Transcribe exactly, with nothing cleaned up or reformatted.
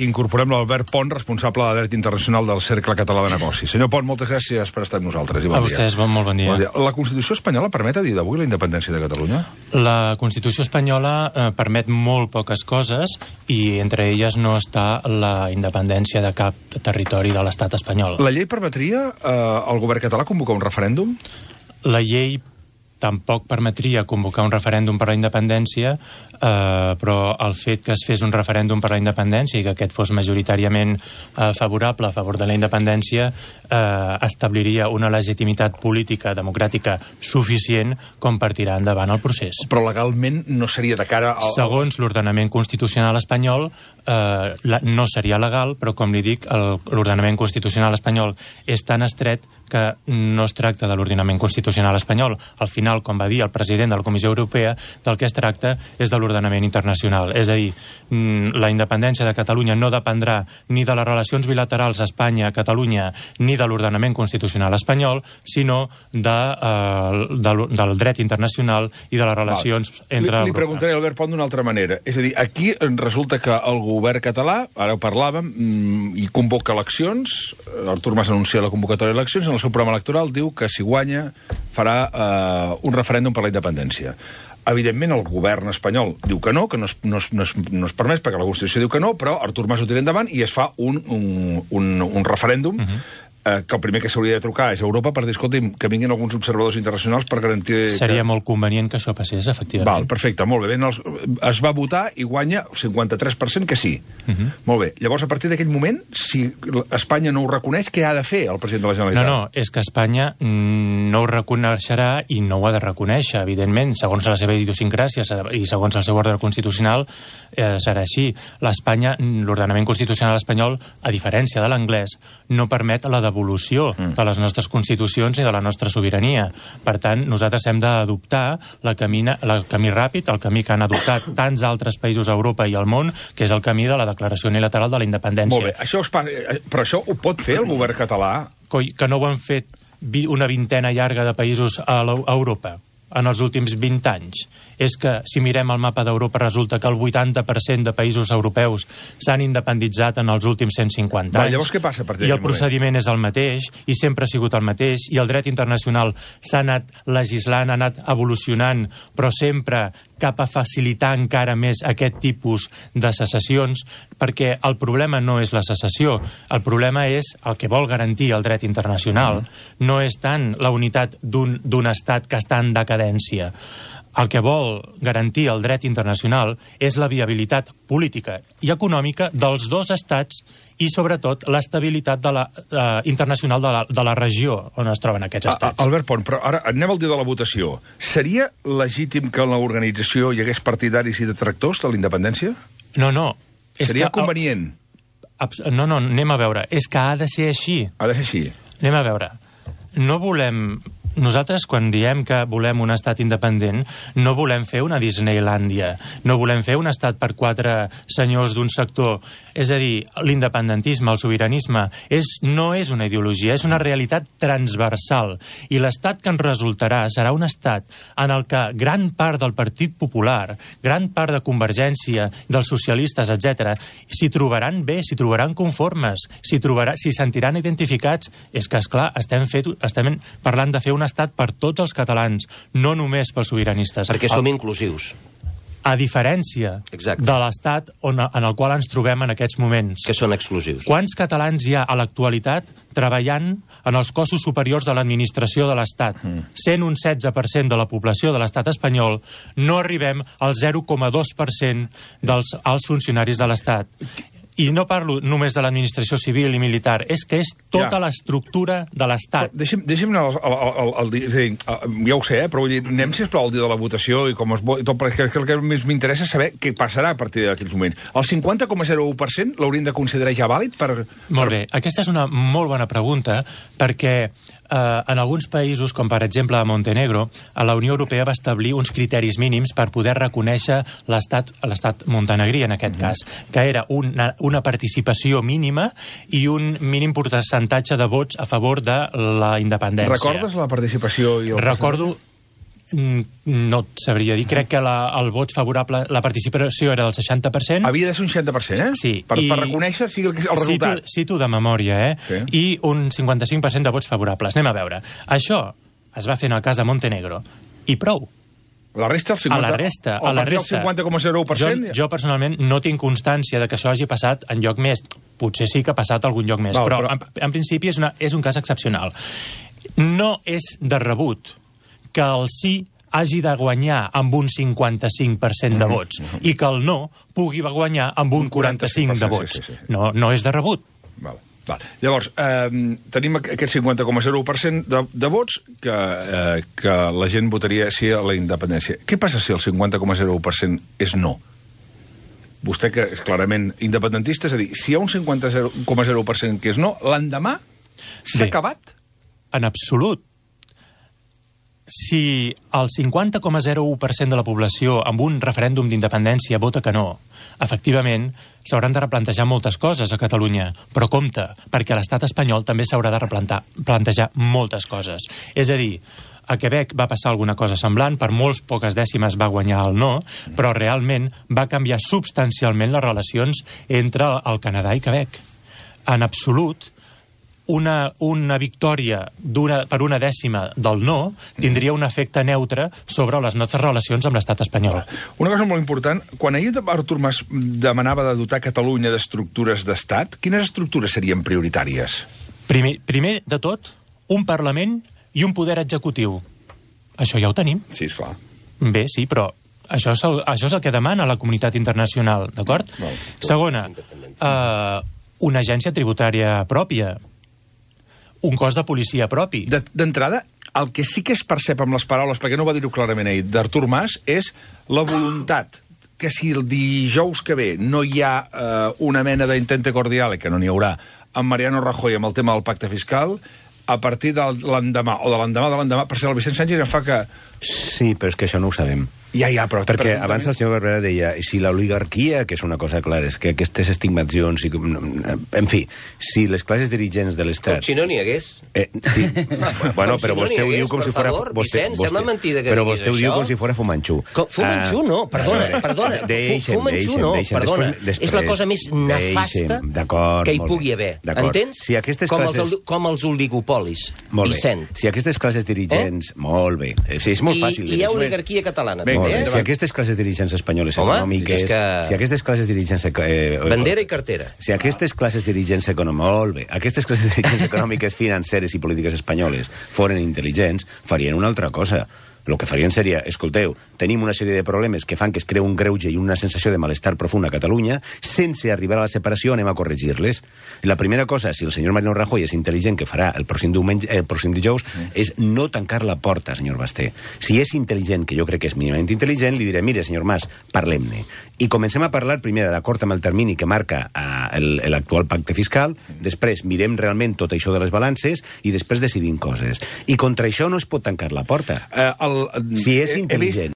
Incorporem l'Albert Pont, responsable de Dret Internacional del Cercle Català de Negocis. Senyor Pont, moltes gràcies per estar amb nosaltres. I bon a vostès, bon, molt bon dia. bon dia. La Constitució espanyola permet a dia d'avui la independència de Catalunya? La Constitució espanyola eh, permet molt poques coses i entre elles no està la independència de cap territori de l'estat espanyol. La llei permetria eh, al govern català convocar un referèndum? La llei tampoc permetria convocar un referèndum per la independència, eh, però el fet que es fes un referèndum per la independència i que aquest fos majoritàriament eh, favorable a favor de la independència eh, establiria una legitimitat política, democràtica suficient com per tirar endavant el procés. Però legalment no seria de cara al... Segons l'ordenament constitucional espanyol, eh, la, no seria legal, però com li dic, l'ordenament constitucional espanyol és tan estret que no es tracta de l'ordenament constitucional espanyol. Al final, com va dir el president de la Comissió Europea, del que es tracta és de l'ordenament internacional. És a dir, la independència de Catalunya no dependrà ni de les relacions bilaterals Espanya-Catalunya ni de l'ordenament constitucional espanyol, sinó de, eh, de, del dret internacional i de les relacions Val. entre... Li, li preguntaré, Albert Pont, d'una altra manera. És a dir, aquí resulta que el govern català, ara ho parlàvem, i convoca eleccions, Artur Mas anuncia la convocatòria d'eleccions, en el seu programa electoral diu que si guanya farà eh, un referèndum per la independència. Evidentment el govern espanyol diu que no, que no es, no es, no es, no es permès perquè la Constitució diu que no, però Artur Mas ho tira endavant i es fa un, un, un, un referèndum uh-huh. eh, que el primer que s'hauria de trucar és a Europa per dir, escolti'm, que vinguin alguns observadors internacionals per garantir... Seria que... molt convenient que això passés, efectivament. Val, perfecte, molt bé. Ben, els, es va votar i guanya el cinquanta-tres per cent que sí. Uh-huh. Molt bé. Llavors, a partir d'aquell moment, si Espanya no ho reconeix, què ha de fer el president de la Generalitat? No, no, és que Espanya no ho reconeixerà i no ho ha de reconèixer, evidentment, segons la seva idiosincràsia i segons el seu ordre constitucional, eh, serà així. L'Espanya, l'ordenament constitucional espanyol, a diferència de l'anglès, no permet la devolució mm. de les nostres constitucions i de la nostra sobirania. Per tant, nosaltres hem d'adoptar la camina, el camí ràpid, el camí que han adoptat tants altres països a Europa i al món, que és el camí de la declaració unilateral de la independència. Molt bé, això es pa... però això ho pot fer el govern català? Coi, que no ho han fet una vintena llarga de països a Europa en els últims vint anys. És que, si mirem el mapa d'Europa, resulta que el vuitanta per cent de països europeus s'han independitzat en els últims cent cinquanta Va, anys. llavors què passa a partir I el procediment moment? és el mateix, i sempre ha sigut el mateix, i el dret internacional s'ha anat legislant, ha anat evolucionant, però sempre cap a facilitar encara més aquest tipus de secessions, perquè el problema no és la secessió, el problema és el que vol garantir el dret internacional. Mm. No és tant la unitat d'un d'un estat que està en decadència. El que vol garantir el dret internacional és la viabilitat política i econòmica dels dos estats i, sobretot, l'estabilitat de la, eh, internacional de la, de la regió on es troben aquests estats. A, Albert Pont, però ara anem al dia de la votació. Seria legítim que en l'organització hi hagués partidaris i detractors de la independència? No, no. És Seria que, convenient? El, no, no, anem a veure. És que ha de ser així. Ha de ser així. Anem a veure. No volem... Nosaltres, quan diem que volem un estat independent, no volem fer una Disneylàndia, no volem fer un estat per quatre senyors d'un sector. És a dir, l'independentisme, el sobiranisme, és, no és una ideologia, és una realitat transversal. I l'estat que ens resultarà serà un estat en el que gran part del Partit Popular, gran part de Convergència, dels socialistes, etcètera, s'hi trobaran bé, s'hi trobaran conformes, s'hi trobarà, s'hi sentiran identificats. És que, esclar, estem, fet, estem parlant de fer un estat per tots els catalans, no només pels sobiranistes. Perquè som inclusius. A diferència Exacte. de l'estat on, en el qual ens trobem en aquests moments. Que són exclusius. Quants catalans hi ha a l'actualitat treballant en els cossos superiors de l'administració de l'Estat? Mm. Sent un setze per cent de la població de l'Estat espanyol, no arribem al zero coma dos per cent dels alts funcionaris de l'Estat. I no parlo només de l'administració civil i militar, és que és tota ja. l'estructura de l'Estat. Deixi'm, deixi'm anar al, al, al, al dia, és a dir, ja ho sé, eh, però vull dir, anem sisplau al dia de la votació i com es vota, tot, perquè el que més m'interessa és saber què passarà a partir d'aquells moments. El cinquanta coma zero u per cent l'haurien de considerar ja vàlid per... Molt bé, aquesta és una molt bona pregunta, perquè eh, en alguns països, com per exemple a Montenegro, a la Unió Europea va establir uns criteris mínims per poder reconèixer l'estat l'estat montenegrí, en aquest mm. cas, que era una, una participació mínima i un mínim percentatge de vots a favor de la independència. Recordes la participació? I el Recordo... no et sabria dir. Crec que la, el vot favorable, la participació era del seixanta per cent. Havia de ser un seixanta per cent, eh? Sí. Per, i... per reconèixer sí, el, el resultat. Cito, cito de memòria, eh? Sí. I un cinquanta-cinc per cent de vots favorables. Anem a veure. Això es va fer en el cas de Montenegro. I prou. La resta, el cinquanta... A la resta, a la resta. El cinquanta coma zero u per cent... Jo, jo, personalment, no tinc constància de que això hagi passat en lloc més. Potser sí que ha passat algun lloc més, Val, però, però... En, en principi és, una, és un cas excepcional. No és de rebut que el sí hagi de guanyar amb un cinquanta-cinc per cent de vots mm-hmm. i que el no pugui guanyar amb un quaranta-cinc de vots. Sí, sí, sí. No, no és de rebut. Val. Val. Llavors, eh, tenim aquest cinquanta coma zero u per cent de, de vots que, eh, que la gent votaria sí a la independència. Què passa si el cinquanta coma zero u per cent és no? Vostè, que és clarament independentista, és a dir, si hi ha un cinquanta coma zero u per cent que és no, l'endemà s'ha acabat? En absolut. Si el cinquanta coma zero u per cent de la població amb un referèndum d'independència vota que no, efectivament, s'hauran de replantejar moltes coses a Catalunya, però compte, perquè a l'estat espanyol també s'haurà de replantejar moltes coses. És a dir, a Quebec va passar alguna cosa semblant, per molts poques dècimes va guanyar el no, però realment va canviar substancialment les relacions entre el Canadà i Quebec. En absolut, Una, una victòria una, per una dècima del no tindria un efecte neutre sobre les nostres relacions amb l'estat espanyol. Una cosa molt important, quan ahir Artur Mas demanava de dotar Catalunya d'estructures d'estat, quines estructures serien prioritàries? Primer, primer de tot, un Parlament i un poder executiu. Això ja ho tenim. Sí, esclar. Bé, sí, però això és el, això és el que demana la comunitat internacional, d'acord? Segona, eh, una agència tributària pròpia, un cos de policia propi. D'entrada, el que sí que es percep amb les paraules, perquè no va dir-ho clarament ahir, d'Artur Mas, és la voluntat que si el dijous que ve no hi ha eh, una mena d'intente cordial, que no n'hi haurà, amb Mariano Rajoy amb el tema del pacte fiscal, a partir de l'endemà, o de l'endemà de l'endemà, per ser el Vicent Sánchez em fa que... Sí, però és que això no ho sabem. Ja, ja, però... Perquè per abans el senyor Barberà deia si l'oligarquia, que és una cosa clara, és que aquestes estigmatzions... I, en fi, si les classes dirigents de l'Estat... Com si no n'hi hagués. Eh, sí. Bueno, però si no vostè ho diu com si fos... Vicent, sembla mentida que però diguis vostè ho diu això. com si fos Fumanxú. Fumanxú no, perdona, perdona. Fumanxú no, perdona. És la cosa més nefasta que hi pugui haver. Entens? Si aquestes classes... Com els oligopolis, Vicent. Si aquestes classes dirigents... Molt bé. Sí, és molt fàcil. I hi ha oligarquia catalana. Si aquestes classes dirigents espanyoles Home, econòmiques... Que... Si aquestes classes dirigents... Eh, Bandera i cartera. Si aquestes classes dirigents econòmiques... Molt bé. Aquestes classes dirigents econòmiques, financeres i polítiques espanyoles foren intel·ligents, farien una altra cosa. El que farien seria, escolteu, tenim una sèrie de problemes que fan que es creu un greuge i una sensació de malestar profund a Catalunya, sense arribar a la separació anem a corregir-les. La primera cosa, si el senyor Mariano Rajoy és intel·ligent, que farà el pròxim, diumenge, el pròxim dijous, mm. és no tancar la porta, senyor Basté. Si és intel·ligent, que jo crec que és mínimament intel·ligent, li diré, mire, senyor Mas, parlem-ne. I comencem a parlar, primer, d'acord amb el termini que marca eh, l'actual pacte fiscal, després mirem realment tot això de les balances i després decidim coses. I contra això no es pot tancar la porta. Eh, el, si és intel·ligent.